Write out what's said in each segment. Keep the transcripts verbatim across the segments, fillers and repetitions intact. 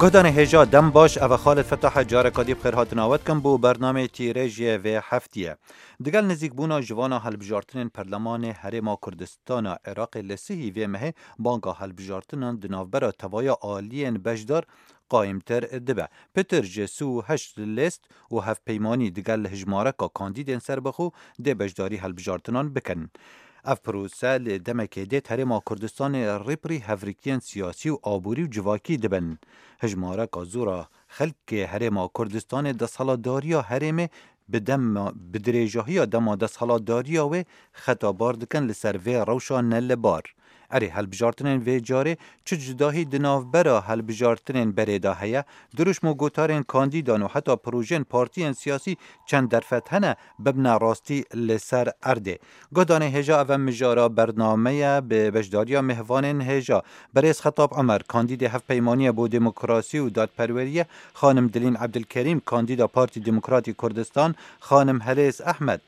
Guhdarên hêja, dem baş, ev e Xalid Fetah e, careka dî bi xêr hatina we dikim bo bernameyê tîrêjiyê vê heftiyê. Digel nizîkbûna ji vana helbijartinên Perlemanê Herêma Kurdistana Iraqê li sihî vê mehê banga helbijartinan di navbera tevaya aliyên beşdar qayîmtir dibe. Pitir ji sî û heşt lêst û hevpeymanî digel hijmareka kandîdên serbixwe dê beşdarî helbijartinan bikin. Ev prose li demekê dê di Herêma Kurdistanê rîpirî hevrikiyên siyasî û aborî û civakî dibin. Hijmareka zor a xelkê Herêma Kurdistanê desthilatdariya herêmê bi dema, bi dirêjahiya dema desthilatdariya wê xeta bar dikin li ser vê rewşa ne li bar. Erê, helbijartinên vê carê çi cudahî di navbera helbijartinên berê de heye? Dirûşm û gotarên kandîdan û heta projeyên partiyên siyasî çend derfet hene bibine rastî li ser erdê? Guhdarên hêja, ev e mijara bernameye bi beşdariya mêvanên hêja. Berêz Xetab Omer, kandîdê Hevpeymaniyê bo Demokrasî û Dadperweriyê, xanim Dilîn Ebdilkerîm, kandîda Partî Demokratî Kurdistan, xanim Helêz Ehmed,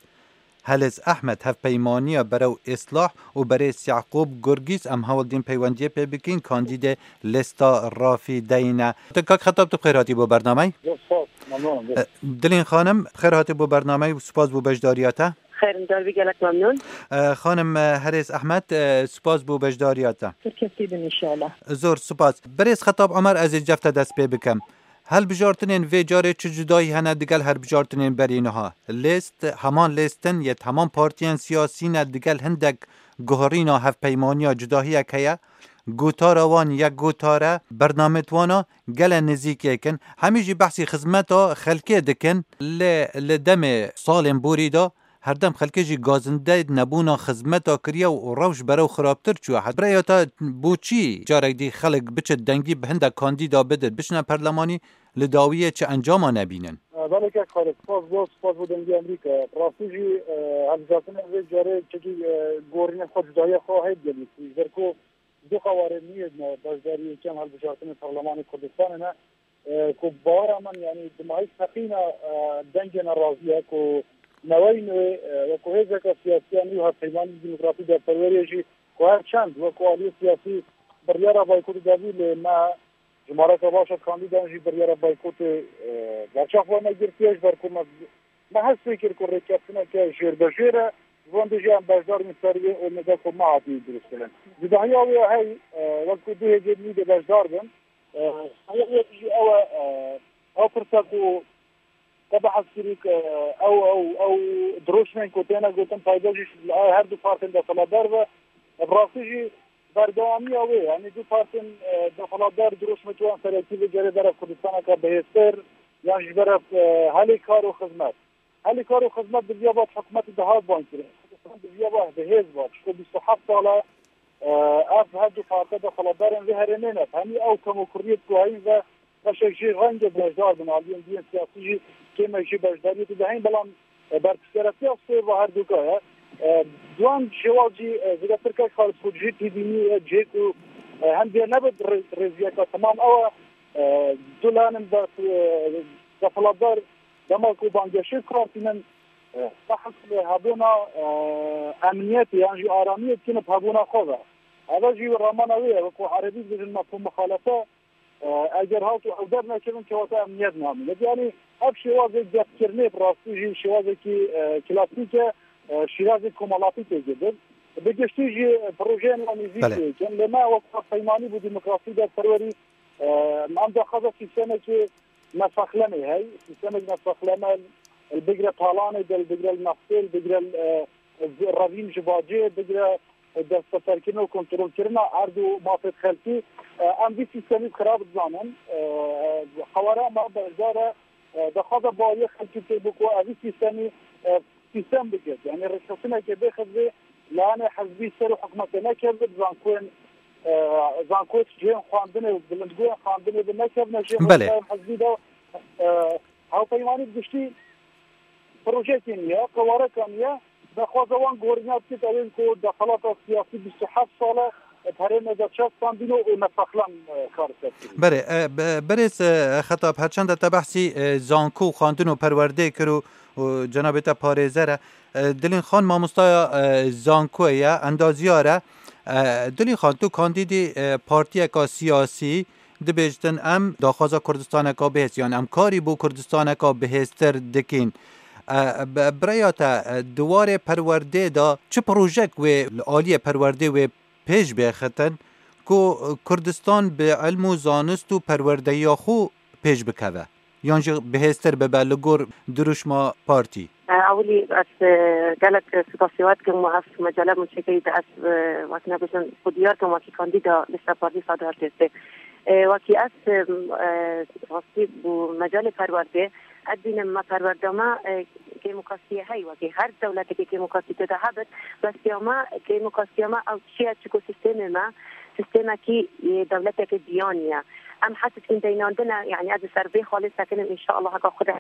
Helêz Ehmed, Hevpeymaniya Berew Îslah û berêz Yaqûb Gurgîz, em hewl dîn peywendiyê pê bikin, kandîdê lêsta Rafîdeyî ne. Te kak Xetab, tu bi xêr hatî bo bernameyê. Zor spas, memnûn. E, Dilîn xanim, bi xêr hatî bo bernameyê û spas bo beşdariya te. Xêr, em dar bî, gelek memnûn. E, xanim, e, Herêz Ehmed, e, spas bo beşdariya te. Serkefte bin inşallah. Zor spas. Berêz Xetab Omer, ez ê cef te dest pê bikim. Helbijartinên vê carê çi cudayî hene digel helbijartinên berî niha? Lêst, heman lêst in, yê di heman partiyên siyasî ne, digel hindek guherîna hevpeymaniya cudahiyek heye. Gotara wan yek gotar e, bernamêt wana gele nizîkêk in. Hemî jî behsî xizmeta xelkê dikin. Lê li demê salên borî de herdem xelkê jî gazinde nebûna xizmeta kiriye û rewş berew xirabtir çûye. Bi rêya te bo çi carek dî xelk biçe dengî bi hindek kandîda bide, biçine perlemanî, li dawiyê çi encama nebînin? Belê kek Xalid, spas bo, spas bo Dengê Amerîka. Rastî jî, e, hilbijartinên vê carê çekî, e, gorînên xwe, cudahiya xwe heyt gelî. Ji ber ku du qewarê nû yê me beşdarî yekem hilbijartinên Perlemanê Kurdistanê ne, e, ku bawera min, yanî, dimahî teqîna, e, dengê nerazî ye ku newey nû, e, wekû hêzeke siyasî ya nû, Hevpeymanî Demokratî Dadperweriyê jî, ku her çend wekû aliyê siyasî biryara boykotê dabû, lê me jimareka baş a kandîdan jî biryara boykotê, e, berçav xwe me girtiye, ji ber ku me, me hespê kir ku rêkeftineke jêrbejêr e, ji van dê jî em beşdar bin ser wê û me da ku me hatî dirust kirin. Cudahiya wê hey, e, wekû du hêzên nû dê beşdar bin. E, haya wê jî ew e, e, ew pirsa ku te behs kirî ku ew, ew, ew dirûşmên ku têne gotin payda jî ji her du partên desthilatdar ve, bi rastî jî berdewamiya wê, yanî du partên, e, desthilatdar dirûşmê wan serekî vê carê bera Kurdistaneke bihêztir, yan ji bera, e, helê kar û xizmet. Helê kar û xizmet bi viya bat hikûmetê dihat ban kirin. Kurdistan bi viya bat bi hêz bat. Ji xwe bîst û heft sal e, e, ev her du parte desthilatdarên vê herêmê ne. Hemî ew kemokiriyê ku heyî ve beşek jî renge beşdar bin, aliyên diyên siyasî jî kêmek jî beşdariyê tu dihên, belam, e, berpirsiyaretiya sêv a her duka ye. E, duan şêwaz jî, e, zêdetir kek Xalid ku cihê têbînî ye, cihê ku, e, hem diye nebe rê-, rêziyeka temam ew e, e, du lanin ber, e, desthilatdar dema ku bangehşê kar tînin, e, behs hebûna, e, emniyetê yan jî aramiyê dikin bi hebûna xwe ve. Eve jî ramana wê ye, wekû erebî dibêjin mefhûm muxalefe, e, eger hat û ew dernekevin kewata emniyet namîne. Yanî ev şêwazê gefkirinê bi rastî jî şêwazekî, e, klasîk e, e, şîrazê komelatî tê girdin. Bi giştî jî projeyên wan nêzîk Belê. tê dikin. Lê me wek peymanî bo demokrasî de perwerî, e, em daxwaza sîstemekê nefexlemê hey. Sîstemek nefexleme li bigire talanê de, li bigire li neftê, li bigire, e, revîn ji bacê, bigire destbeserkirin û kontrolkirina erd û mafê xelkî, e, em vî sîstemî xirab dizanin. E, qewara me beşdar e, e, daxwaza baweriya xelkî tê bo ku ev vî sîstemî, e, sîstem bike. Yanî rêkeftineke bêxizbê, layanê hizbî ser û hikûmetê nekeve, zankoyên, e, zankoyê cihên xwendinê û bilindgoyên xwendinê bi nekevne jê Belê. rêkeftinên hizbî de, e, hevpeymanî bi giştî projeyekê niye, qewareka niye. Daxwaza wan gorîna dikit, ew ên ku desthelata siyasî bîst û heft sal e, di herêmê de çepandîno û nefexlem, e, kar ser kirî. Berê, e, be-, berêz, e, Xetab, herçende te behsî, e, zanko û xwendin û perwerdê kir û, û cenabê te parêzer e. E, Dilîn Xan mamostaya, e, zankoyê ye, endaziyar e. E, Dilîn Xan, tu kandîdî, e, partiyeka siyasî, Dibêjtin em daxwaza Kurdistaneka bihêz, yan em karî bo Kurdistaneka bihêztir dikîn. E, bi, bi rêya te, e, di warê perwerdê de çi projek wê li aliyê perwerdê wê pêş bêxitin ku Kurdistan bi ilm û zanist û perwerdeyiya xwe pêş bikeve? Yan jî bihêztir bibe li gor dirûşma partî? Ewilî ez, e, gelek spasî we dikim û ev mecale min çêkirî de ez, e, wek nebêjin xwe diyar kim wekî kandîda lîsta partî Sadu Hevdêstê. E, wekî ez, e, e, rastî bû mecalê perwerdê, ez dînim me perwerda me, e, kêmûkastiyê hey wekî her dewletekê kêmûkastî tê de hebit, bes ya me kêmûkastiya me ew çi ye, çiko sîstemê me sîstemekî, e, dewleteke diyaniye. Em hes dikin deynandine, yani ez li ser vê xalê sekinim, înşallah heka Xuda.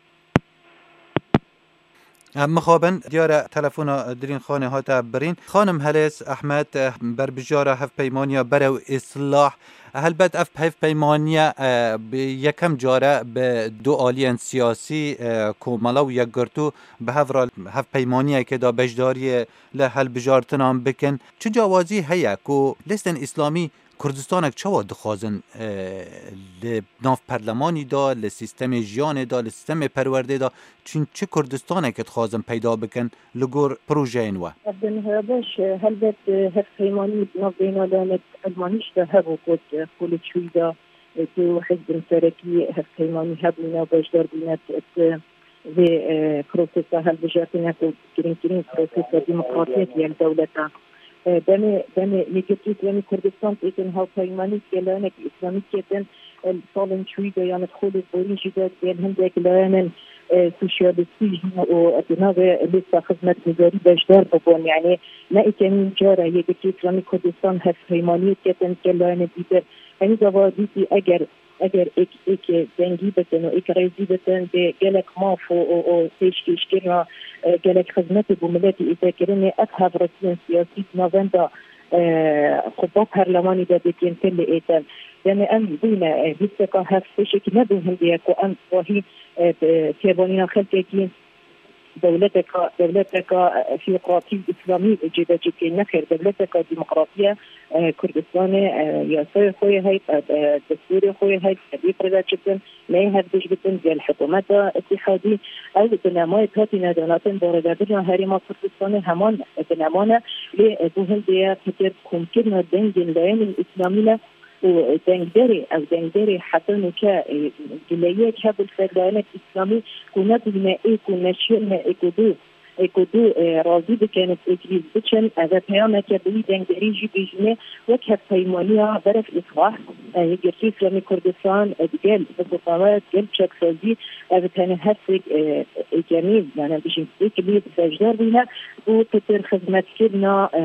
Em mixabin, diyar e telefona Dilîn Xanê hate birîn. Xanim Helês Ehmed, berbijara hevpeymaniya Berew Îslah. Helbet ev hevpeymaniye, e, bi yekem car e bi du aliyên siyasî, e, Komela û Yekgirtû bi hev re hevpeymaniyekê de beşdariyê li hilbijartinan bikin. Çi cawazî heye ku listên îslamî Kurdistanek çawa dixwazin, e, li nav perlemanî de, li sîstemê jiyanê de, li sîstemê perwerdê de, çi, çi Kurdistanekê dixwazin peyda bikin li gor projeyên we? Bi niha baş, e, helbet, e, hevpeymanî di nav beyna lanet elmanî jî de hebû ku, e, xwe li çûyî de, e, tu hizbên serekî hevpeymanî hebûne, beşdar bûne, e, vê, e, prosesa hilbijartinê ku girîngtirîn prosesa demokratiyek ye li dewleta. E, demê, demê Yekgirtî Îslamî Kurdistan têtin hevpeymanî gelaynek Îslamî ketin, e, li salên çûyî de yan li xolê borî jî de gel hindek layanên, e, sosyalistî jî û di navê lêsta xizmetgudarî beşdar bibûn. Yani ne êkemîn car e Yekgirtî Îslamî Kurdistan hevpeymaniyê ketin gel layanên dîtir. Henî gava dîtî eger Eger êk, êk dengî bitin û êk rêzî bitin, dê gelek maf û, û, û pêşkêşkirina, e, gelek xizmetê bo miletî ête kirinê, ev hevritiyên siyasî di navenda, e, quba perlemanî de dê kêmtir lê êtin. Demê em bûyne, e, lîsteka hevpêşekî ne bi hindê ye ku em wahî, e, bi têvanîna xelkekî dewleteka, dewleteka, e, teokratî îslamî cêde çêkê. Nexêr, dewleteka demokratî ye, e, Kurdistanê, e, yasayê xwe yê heyt, e, e, destûrê xwe yê heyt, e, vê pir de çitin, neyê hevdûş bitin, gel hikûmeta îtîhadî, ew binemayê hatîne donatên baredebirina Herêma Kurdistanê heman bineman e, lê, e, bo hindê ye, fikir komkirina dengên layenên îslamî ne, û dengderê, ev dengderê heta nûke, e, gileyiyek hebû li ser layenek îslamî ku nebûyne ê ku neşiyane ê ku du, ê ku du, e, razî bikin û êk lîz biçin. Ev e peyameke bi wî dengderî jî bêjîne wek hevpeymaniya Berev Îslah, e, Yekgirtî Îslamî Kurdistan, e, digel biqûqawe, digel çaksazî, ev tenê hesek, e, êkemî, yani bijîn êk lîz beşdar bûne bo pitir xizmetkirina, e,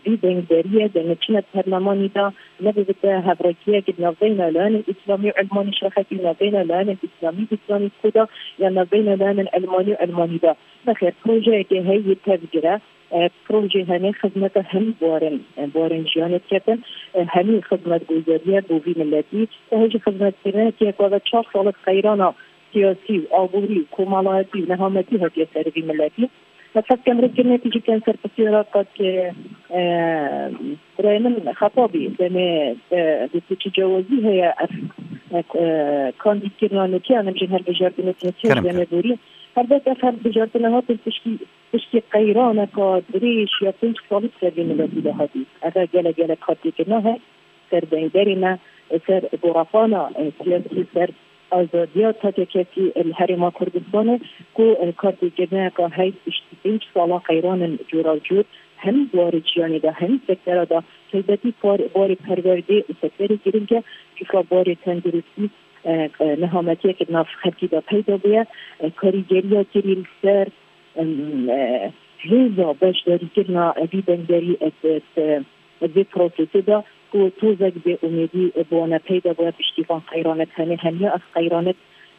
vî dengderiyê de neçine perlemanî de, nebibite hevrekiyek di navbeyna layanên îslamî û ilmanî şerxekî, navbeyna layanên îslamî bi îslamî xwe de, ya navbeyna layanên ilmanî û ilmanî de. Nexêr, projeyeke heye yê tevgire, e, projê hemî xizmeta hemî buarên, e, buarên jiyanê diketin, e, hemî xizmetguzariye bo vî miletî, e, hê jî xizmetkirinekê ku ve çar salek qeyrana siyasî û aborî û komelayetî û nehametî hatiye ser vî miletî. Ez hez dikim rêkirine tî jî bikin ser pirsiyara qat, e, e, birayê min xeta bî, demê, e, di tu çi cewazî heye ev, e, e, kandîdkirina nûke, em jî hilbijartinê nûke Kerem demê kir. Borî. Helbet ev hilbijartine hatin piştî, piştî qeyraneka dirêj ya pênc salî ser vê miletî de hatî. Ev e gelek gelek xatirkirina heye. Ser dengderê me, ser gorafana, e, siyasî, ser azadiya takekesî, e, li Herêma Kurdistanê, ku, e, kartêkirineka hey piştî pênc sala qeyranên cûra cûr hemî buwarê jiyanê de, hemî sektera de, taybetî par-, barê perwerdê û sekterê girîng e, çunka barê tenduristî, e, e, nehametiyeke di nav xelkî de peyda bûye, e, karîgeriya kirî li ser, em, e, hêza beşdarîkirina vî dengderî, e, e, e, vê prosesê de ku tozek bêumêdî bi wan peyda bûye piştî van qeyranek hene. Hemiya ev qeyranek,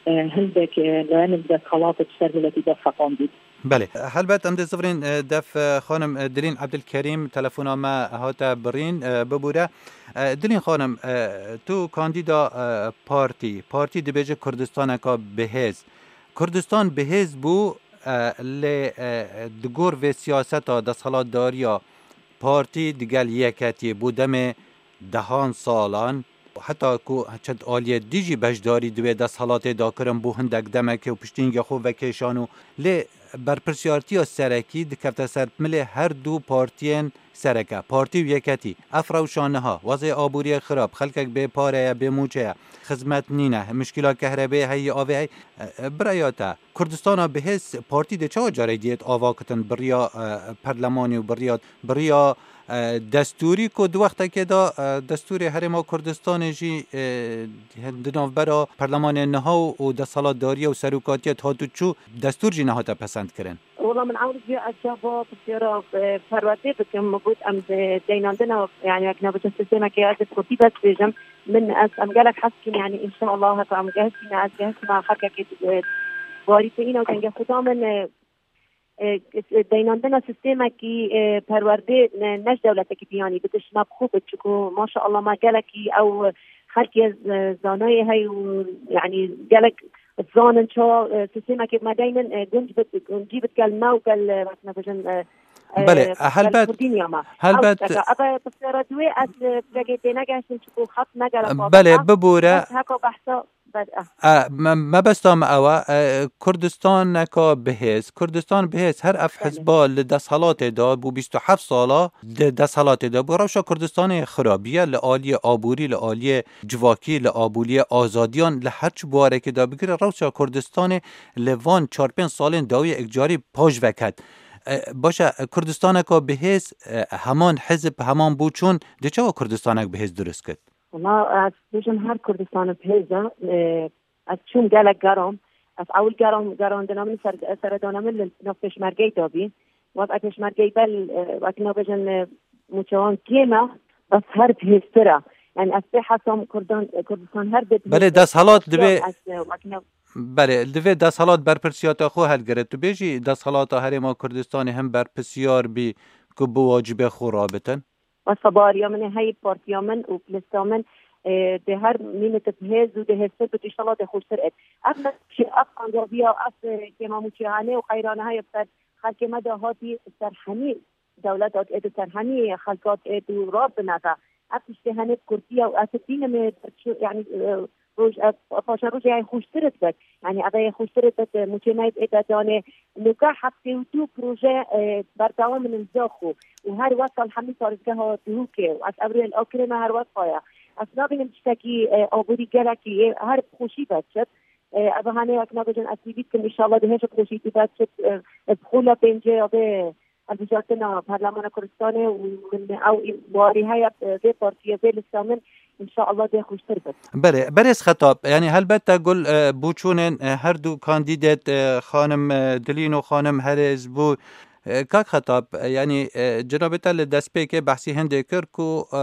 e, hindek, e, layenên desthilat bi ser miletî de seqandî. Belê, helbet em dê zivirên, e, def, e, xanim, e, Dilîn Ebdilkerîm telefona me hate birîn, e, bibûre. E, Dilîn xanim, e, tu kandîda, e, partî, partî dibêje Kurdistaneka bihêz. Kurdistan bihêz bû, e, lê, e, di gor vê siyaseta desthilatdariya partî digel yeketiyê bo demê dehan salan, Heta ku çend aliyê dî jî beşdarî di wê desthilatê de kirin, bû hindek demekê û piştî hingê xwe vekêşan û lê berpirsiyartiya serekî dikefte ser milê her du partiyên sereke, partî û yeketî. Ev rewşa niha, wezê aboriyê xirab, xelkek bê pare ye, bê mûçe ye, xizmet nîne, mişkîla kehrebê heye, avê heye. E, e, biraya te, Kurdistana bihêz partî dê çawa carê diyêt ava kitin bi riya, e, perlemanî û bi riya, bi riya, e, destûrî ku di wextekê de, e, destûrê Herêma Kurdistanê jî, e, di navbera perlemanê niha û, û desthilatdariya û serokatiya dihat û çû, destûr jî nehate pesend kirin. Wala min ewil jî ez cava pirsiyara, e, perwerdê bikim. Min got em di deynandina, yani wek navêje sîstemekê ez ê kurdî bes bêjim. Min ez, em gelek hez dikin, yani înşallah heta em gehiştîne, ez gehiştime xelkekê, e, warî têyîna dengê xwe da min, e, e, deynandina sîstemekî, e, perwerdê ne, ne ji dewletekî biyanî bitiş me bi xwe bit, çiku maşallah me gelekî ew xelkê, e, zanayê heye û, yani gelek zanin çawa, e, sîstemekê me deynin, e, gunc bit, guncî bit gel me û gel, e, wek me bêjin, e, e, Belê, e, gel helbet, Kurdî niya me. Helbet. Ew tiştek e. Eve pirsiyara duwê ez, e, pirekê tênegehiştim, çiku xet me gelek, belê, bibûre. Ez heka behsa, belê, e. E, me, mebesta me ew e, e, Kurdistaneka bihêz, Kurdistan bihêz, her ev, belê, hizba li desthilatê de bû, bîst û heft sala di desthilatê de bû. Rewşa Kurdistanê xirabiye li aliyê aborî, li aliyê civakî, li aboriyê azadiyan, li her çi buwarekê de bigire, rewşa Kurdistanê li van çar pênc salên dawiyê ekcarî paş veket. E, baş e, Kurdistaneka bihêz, e, heman hizb, heman bûçûn, dê çawa Kurdistanek bihêz dirust kit? Wala, ez bêjim her Kurdistanek bihêz e, e, ez çûm gelek geram, ez ewil geram, gerandina min ser, seredana min li nav pêşmergeyê de bî. Wek e pêşmergeyê bel, e, wek nabêjin, e, mûçewan kêm e, bes her bihêztir e. Yani ez pê hesam Kurdan, Kurdistan her bê bihêz. Belê, desthilat divê, ez, e, wek nav- belê, divê desthilat berpirsiyata xwe helgire. Tu bêjî desthilata Herêma Kurdistanê him berpirsiyar bî ku bi wacibê xwe rabitin? Wesa bariya min ê heyî partiya min û lista min, e, dê her mînit bihêz û dê hêztir bit, înşallah dê xweştir et. Ev meşî, ev qancaviya, ev, e, kêmamûçiyane û qeyrane heye ser xelkê me de hatî ser hemî dewletat êt û ser hemî xelkat êt û rab bineve. Ev tiştê henê bi kurdî ye û ez dibînim, e, çi, yani, e, roj, e, paşerojê yê xweştir dibet. Yani, ev yê xweştir dibet, e, mûçê me yê êt ê danê. Nûke heftê û du proje, e, berdewam in li Zaxo û her wesa li hemî parêzgeha Duhokê û ez evrê li Akirê me her wesa ye. Ez nabînim tiştekî, e, aborî gelekî, e, her bi xweşî ve çit. E, ev hanê wek nabêjin ez hîvî dikim, înşallah dê hêj bi xweşî ve çit, e, e, bi xwe la pêncê ya vê hilbijartina Parlemana Kurdistanê û min ew warî heye, e, vê partiyê, vê lista min, înşallah dê xweştir bit. Belê, berêz Xetab, yani helbet te gul, e, bûçûnên, e, her du kandîdet, e, xanim, e, Dilîn û xanim Herêz bû. E, kak Xetab, e, yani, e, cenabê te li destpêkê behsî hindê kir ku, e,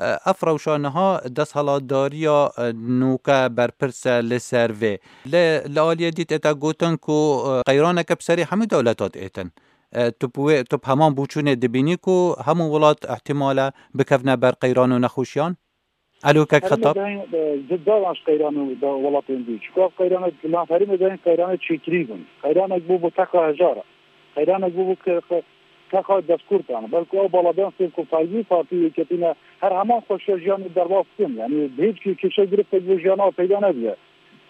e, ev rewşa niha desthilatdariya, e, nûke berpirs e li ser vê. Lê li aliyê dî tê te gotin ku, e, qeyraneke bi serê hemû dewletat êtin. E, tu bi wê, tu bi heman bûçûnê dibînî ku hemû welat ihtimal e bikevne ber qeyran û nexweşiyan? Alo, kek Xetab. Herêmê de, e, di daran ji qeyran û de welatên dî. Çiku ev qeyranek li nav herêmê de qeyranê çêkirî bin. Qeyranek bû, bû teqa hejar e. Qeyranek bû, bû ke, ke, teqa destkurdan. Belku ew baladan sê ku fayzî partî yeketîne her heman xweşiya jiyanê derbas bikin. Yani bi hêç kê kêşe giriftek bo jiyana peyda nediye.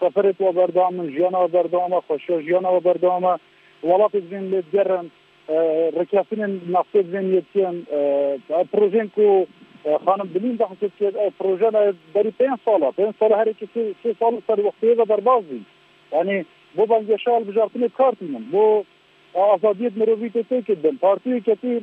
Seferê tu berdewam in, jiyana berdewam e, xweşiya jiyana berdewam e. Welatê divên lê digerin, e, rêkeftinên naftê divên yê dikin, e, ev projeyên ku, e, xanim Dilîn behsê dikir, ev projeyên berî pênc sal e. Pênc sal e, her yekê sê, sê sal li ser wextê ve derbas bîn. Yani bo bangêşa hilbijartinê bi kar tînin. Bo azadiyê mirovî tê têkildin. Partî yeketî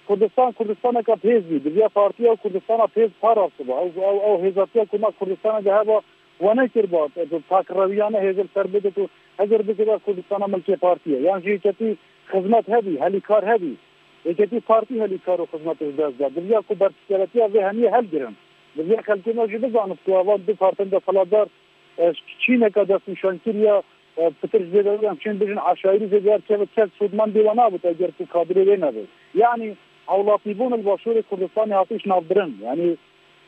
Kurdistan, Kurdistaneke bihêz bî. Diviya partiya Kurdistana bihêz parastibû. Ew, ew, ew hêzatiya ku me Kurdistana de heba, we nekiriba, bi pakrewiyane hêzir ser bide ku hezir bikibe Kurdistana milkê partiyê. Yan jî yeketî xizmet hebî, helîkar hebî. Yeketî partî helîkar û xizmetê ji dest da. Diviya ku berpirsiyaretiya vê hemiyê helgirin. Diviya xelkê me jî bizanib ku evan du partên desthilatdar, e, çîneke destnîşankirî ya, e, pitir ji vê derê em çên bijin eşayirî zêdeyar keve kes sûdmendê we nabit eger ku kadirê wê nebe. Yanî hewlatîbûn li Başûrê Kurdistanê hatiş navbirin. Yanî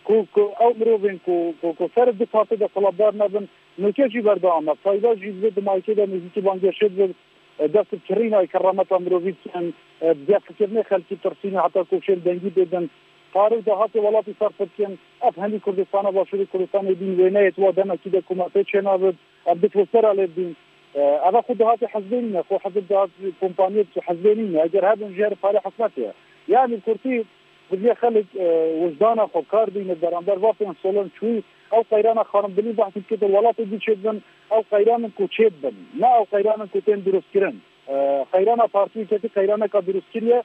ku, ku ew mirovên ku, ku, ku ser du partê desthilatdar nebin, nûke jî berdewam e. Fayda jî di vê dimayikê de nêzîkî bangêşê dibe, e, dest bi kirîna kerameta mirovî dikin, e, bi germkirinê xelkî tirsîne heta ku şên dengî bêdin. Pare û dahatê welatî serf bikin. Ev hemî Kurdistana Başûrê Kurdistanê bîn wêneyê wa demekî de ku me pê çênabit. Ev bit û ser alê bîn. E, ev xwe dahatê hizbê nîne, xwe hizb dahat kompaniyê hizbê nîne. Eger hebin jî her pare hikûmetê ye. Yani kurtî, bi vê xelk, e, wijdana xwe kar bîne beramber va pênc solan çûyî. Ew qeyrana xanim Dilî behsî dike di welatê dî çêdibin, ew qeyranin ku çêdibin. Ne ew qeyranin ku tên durustkirin. E, qeyrana partiyê ketî qeyraneka durustkirî ye.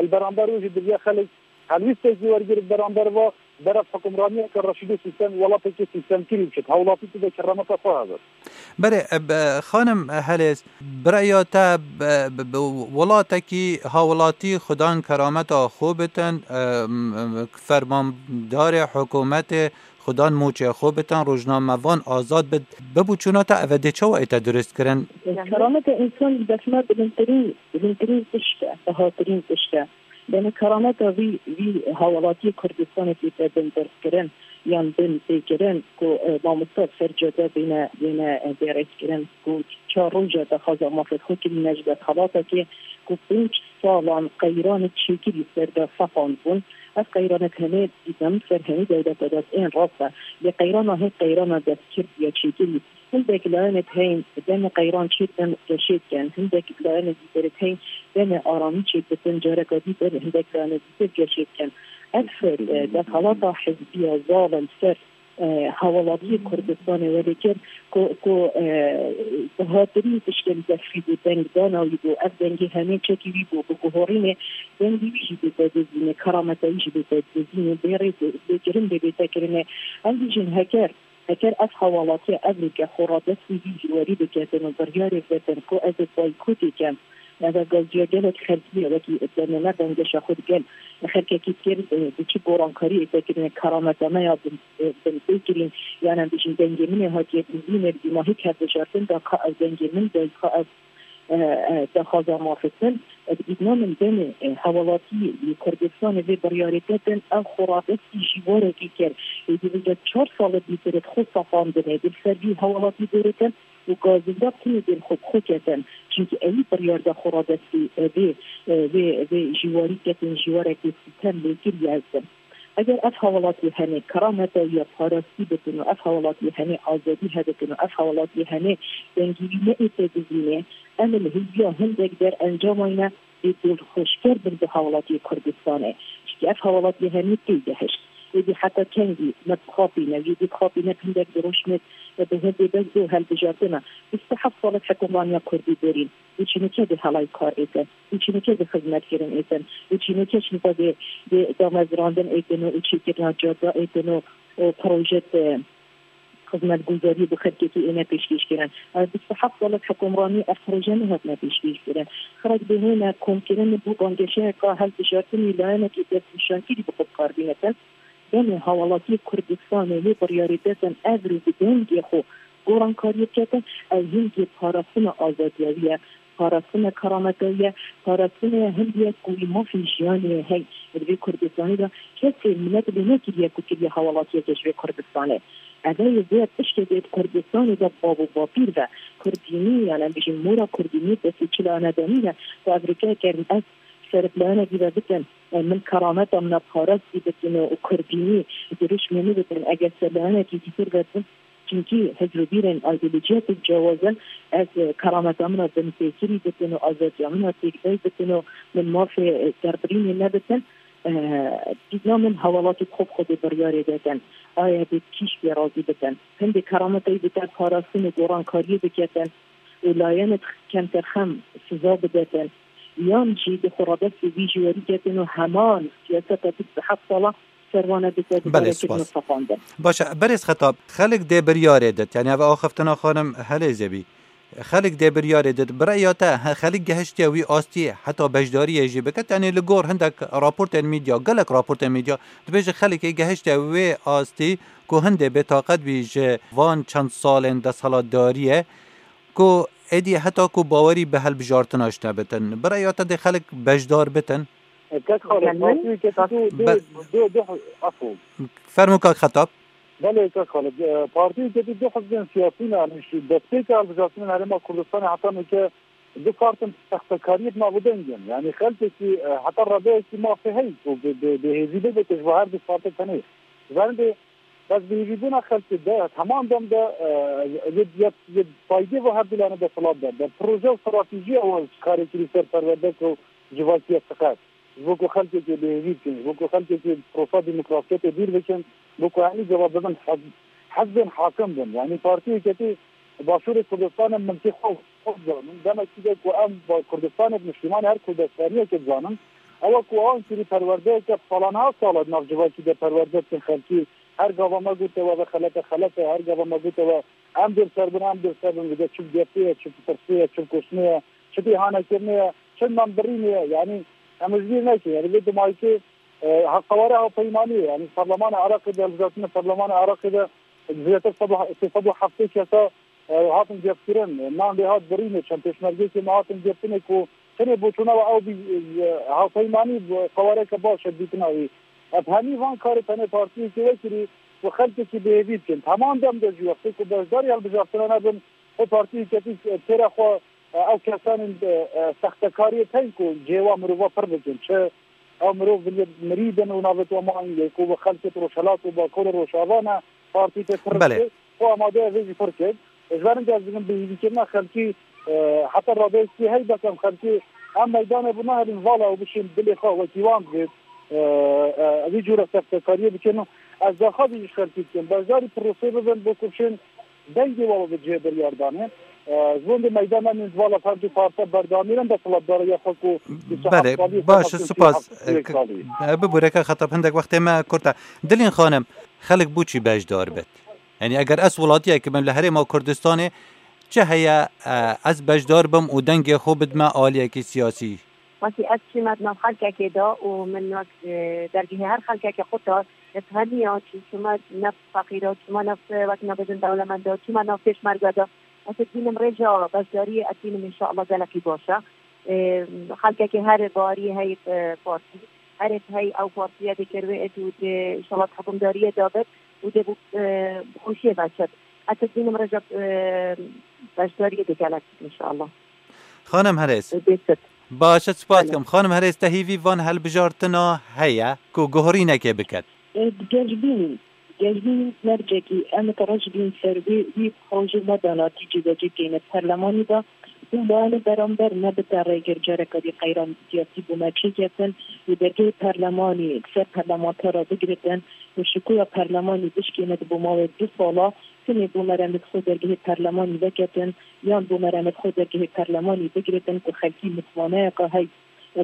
Li beramber wê jî divê xelk helwîstek jî wergire beramber va, beref hukimraniyeke reşîdê sîstem, welatekî sîstemkirî biçit. Hewlatî tu de kerameta xwe hebe. Belê, e, be-, xanim Helêz, bi reya te, be-, be-, be-, welatekî hawlatî xudan kerameta xwe bitin, e, m-, m-, fermandarê hikûmetê xudan moçê xwe bitin, rojnamevan azad bit, bibû çûna te eve dê çawa ête durust kirin? Kerameta însan ji def me bilindtirîn, bilindtirîn tişt e, bihatirîn tişt e. Demê kerameta vî, vî hawlatiyê Kurdistanê tête bindirkirin yan bin têkirin ku, e, mamoste ser cade bêne, bêne, e, bêrêzkirin ku çar roja daxwaza mafê xwe kirîne ji desthilatekê ku pênc salan qeyranê çêkirî ser de seqandbûn. Ev qeyranê tenê dîtin ser hemî dewleta de ên rast e. Lê qeyrana hê qeyrana destkirdî ya çêkirî. Hindek layenê heyîn demê qeyran çêdikin geşê dikin. Hindek layenê dîtir heyîn demê aramî çêdikin, careka dîtir hindek layenê dîtir geşê dikin. Ev, e, desthelata hizbiya zalim ser, e, hewalatiyê Kurdistanê welê kir ku, ku, e, bihatirîn tiştên destfî bû, dengdana wî bû, ev dengê hemê çekî wî bû, bi guhorînê dengê wî jî bête dizînê, kerameta wî jî bête dizînê, bê rê bê kirin bê bête kirinê. Em dijîn heker Heker ev hawalatiya evroke xwe radestî vî jîwarî biketin û biryarê vetin ku ez ê boykotê kem. Ev gaziya gelek xelkî ye, wekî demê me banggeşa xwe digel xelkekî kir, e, bi çi gorankariyê te kirine, kerameta me ya bin, e, bin tê kirîn, yan em bijîn dengê min ê hatiye dizînê, dîma hik hevbijartin da ka ev dengê min de, ka ev e, e, daxwaza mafê din, e, bi dîtina min demê, e, hewalatî li Kurdistanê vê biryarê ketin, ew xwe radestî jîwarekî kir. Êdî bi çar sala dîtir xwe safandinê, di ser vî hewalatî dêrêtin û gazinda tinê dên xwe bi xwe ketin. Çimkî ewî biryar da xwe radestî, e, vê, e, vê, vê jîwarî ketin, jîwarekê sîtem lê kiriye ez. Eger ev hewalatî henê kerameta wî ya parastî bikin û ev hewalatî henê azadî hebikin û ev hewalatî henê dengî wî neête dizînê, em li hêviya hindek der encama wî ne bê dilxweşker bin bi hewalatiyê Kurdistanê. Çimkî ev hewalatî henê tê gehişt. Êdî heta kengî me dixapîne, jî dixapîne hindek di rojmêt bi hindê bes do hilbijartina. Bîst û heft sal e hikûmraniya Kurdî borîn. Û çînokê di helay kar êtin. Û çînokê di xizmetkirin êtin. Û çînokê çînka di, di damezrandin êtin û çêkirina cada êtin û, û proje di xizmetguzariyê bi xelkekî êne pêşkêş kirin. Ev bîst û heft sal e hikûmranî ev proje nehatine pêşkêş kirin. Xirek bêhêne komkirin bo banggeşeyeka hilbijartinê layenekî destnîşankirî bi xwe bi kar bîne dest. Demê hewalatiyê Kurdistanê wê biryarê detin evro bi dengê xwe gorankariyê biketin, ew hingê parastina azadiya wî ye, parastina kerameta wî ye, parastina hindê ye ku wî mafê jiyanê ye hey. Li vê Kurdistanê de kesê minet lê nekiriye ku kiriye hewalatiyeke ji vê Kurdistanê. Ev ê vê tiştê dê di Kurdistanê de bav û bapîr ve. Kurdînî, yan em bijîn mora Kurdînî destê çila ne demî ne. Tu ev rike kerin ez ser bi layenekî ve bikin. E, min kerameta min a parastî bikin û Kurdînî dirûşmê min bikin. Eger ser layenekî dîtir ve bin, çimkî hizr û bîrên, îdeolojiyetên cewaz in, ez, e, kerameta min a binpêkirî bikin û azadiya min a têkbey bikin û min mafê, e, derbirînê nebitin, e, dîtina min hewalatî xwe bi xwe dê biryarê detin. Aye dê kîş pê razî bikin. Hindê kerameta wî bite parastin û gorankariyê biketin û layenê kemtir xem siza bidetin. Yan jî di xwe radestê vî jî werî ketin û heman siyaseta bîst û heft sala ser wan e bike, Belê, dikare kirin û spas. Sefandin. Baş e, berêz Xetab, xelk dê biryarê dit, yani ev axiftina xanim Helêzê bî. Xelk dê biryarê dit. Bi reya te, he, xelk gehiştiye wî astî heta beşdariyê jî biket? Yani li gor hindek raportên medya, gelek raportên medya, dibêje xelkê gehiştiye wê astî ku hindê bêtaqet bî ji van çend salên desthilatdariyê, ku êdî heta ku bawerî bi hilbijartina ji te bitin. Bi reya te dê xelk beşdar bitin? Kek Xalid, Efendim? Partî Yeketî du, du, Be- du, du, du, afû. Fermo kak Xetab. Belê, kek Xalid, e, Partî Yeketî du hizbên siyasî ne, yani şu destpêka hilbijartinên Herêma Kurdistanê heta nûke Du partin textekariyê bi navûdeng in. Yanî xelkekî, e, heta radeyekî mafê heyî ku bi, bi, bi hêvî bibe ji bo her du partin tenê. Ji ber hindê bes bi hêvîbûna xelkê de, heman dem de, e, yê, yê, yê faydê ve her du lane desthilat de. Bi proje û stratejiya wan karê kirî ser perwerde ku civakî ye siqet. Ji bo ku xelkekê bêhêvî bikin, ji bo ku xelkekê prosa demokrasiyetê dûr bikin, ji bo ku hemî cevab bibin hez-, hezbên hakim bin. Yanî Partî Yeketî Başûrê Kurdistanê milkê xwe, xwe dizanin. Demekî de ku em ba-, Kurdistanê bi niştîmanê her kurdestaniyekê dizanin, ew e ku wan kirî perwerdeyeke salaniha sala di nav civakî de perwerde dikin xelkî. Her gava me gote we ve xelet e, xelet e, her gava me gote we em dê li ser bin, em dê li ser bin, vide çi bi gefê ye, çi bi tirsê ye, çi bi kuştinê ye, çi bi îhanekirinê ye, çi bi membirînê ye. Yanî em ji bîr nekin. Yanî vê dimayîkê, e, ha-, qewara hevpeymaniyê, yanî Parlemana Iraqê de, hilbijartina Parlemana Iraqê de zêdetir sed û, sê sed û heftê kesa, e, hatin gefkirin, nan lê hat birînê, çend pêşmergeyekê me hatin geftinê ku tenê boçûna we ew bî, e, hevpeymanî bi qewareke baş e dîtina wî. Ev hemî van karê tenê partiyekê wekirî ku xelkekî bêhêvî bikin. Heman dem de jî wextê ku beşdarî hilbijartina nebin, xwe partiyê ketî têra xwe, e, ew kesanên, e, e, sextekariyê tên ku cihê wa mirova pir bikin. Çi ew mirov bi mirî bin û navê we mayîn lê ku bi xelkê Rojhilat û Bakur û Rojava ne partî tê pir Belê. Bike, xwe amade ye vê jî pir kir. Ji ber hindê ez dibim bi hêvîkirina xelkî, e, heta radeyekî hey bekem xelkî em meydanê bi nahêlin vala û bişên dilê xwe wekî wan divêt, e, e, vî cûre sextekariyê bikin û ez daxwazî ji xelkî dikim. Beşdarî prosê bibin bo ku bişên dengê we bi cihê biryardanê. E, ji bo hindê meydan em ên di vala her du parti berdamîrin desthilatdariya xwe ku Belê, baş, spas. Salî. E, bibûreke Xetab hindek wextê me kurt e. Dilîn Xanim, xelk bo çi beşdar bit? Yanî eger ez welatiyek bim li Herêma Kurdistanê, çi heye, e, ez beşdar bim û dengê xwe bidime aliyekî siyasî? Wekî ez çîme di nav xelkekê de û min wek, e, dergehê her xelkekê xurt de, ez hemiya çî çûme ne feqîra, çûme ne wek nabêjin dewlemenda, çûme nav pêşmerge de. Ez dibînim rêja beşdariyê ez dibînim înşallah gelekî baş e. E, xelkekê herê bariyê heyî, e, partî, herê heyî ew partiye dikir wê êt û dê înşallah hikûmdariyê de bit û dê bi, e, bi xweşiyê veçit. Ez dibînim rêja, e, beşdariyê dê gelek bit înşallah. Xanim Herês. Baş e, spas dikim. Xanim Herês, te hîvî van hilbijartina heye ku guhorînekê biket? E, digel bînin. Digel bînin mercekî em ê te re jî bîn ser wê, wî xwe ji me da natîcê de cî bikeyne di perlemanî de. Û me li beramber me bite rêgir careke dî qeyran siyasî bo me çêketin. Li dergehê perlemanî ser perlemantera bigiritin û şikoya perlemanî bişkêne di bo mawê du sala. Tenê bo me re li xwe dergehê perlemanî veketin, yan bo me re li xwe dergehê perlemanî bigiritin ku xelkî mitwaneyeka hey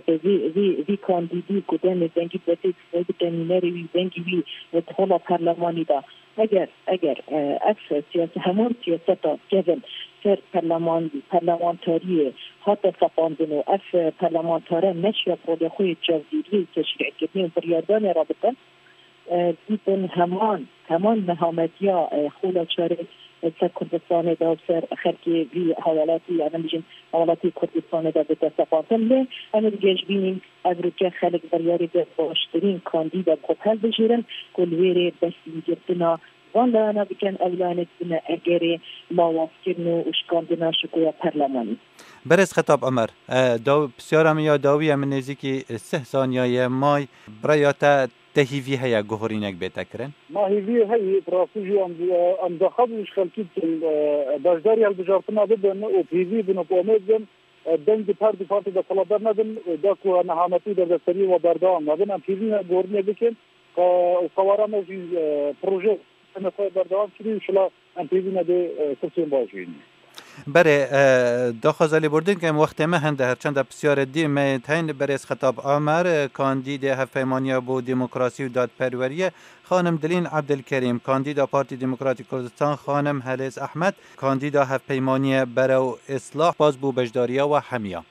bi vî, vî, vî kandîdî ku demê dengî bi destê bide nûnerê wî, dengî wî di hola perlemanî de. Eger, eger, e, ev siyas-, heman siyaseta kevin ser perleman-, perlemantariyê hate sepandin û ev, e, perlemantare neşiya polê xwe yê çavdîriyê û teşrî'kirinê û biryardanê re bitin, e, dîtin heman, heman nehametiya, e, xola çarê, e, ser Kurdistanê de û ser xelkê vî hewalatî, yani bijîn hewalatî Kurdistanê de bide sepantin. Lê em ê digeh bînîn, ev rûke xelk biryarê de baştirîn kandîda bi xwe helbijêrin ku li wêrê bersîngirtina van layana bikin, ew layane dibine egerê lawazkirin û şikandina şikoya perlemanî. Berêz Xetab Omer, e, daw-, pisyara min ya dawî ye, min nêzîkî sih saniya ye may, bi raya te, te hîvî heye guhorînek bête kirin? Ma hîvî heye, bi rastî jî em, em daxwaz ji xelkî dikin, e, beşdarî hilbijartina bibin û bi hîvî bin û bi omêd bin, e, dengê her du partî desthilatdar nebin, e, da ku nehametî û derdeseriyê wa berdewam nebin. Em hîvî ne guhorînê bikin, e, û qewara me jî, e, proje me xwe berdewam kirî û şila em pêvî me dê, e, kursên baş bînin. Berê, e, daxwaza lêbordin ke em wextê me hende her çenda pisyarê dî me tên berêz Xetab Amer, e, kandîdê Hevpeymaniya bo Demokrasî û Dadperweriyê, xanim Dilîn Ebdilkerîm, kandîda Partî Demokratîk Kurdistan, xanim Helêz Ehmed, kandîda Hevpeymaniye Berew Islah, spas bo beşdariya we hemiya.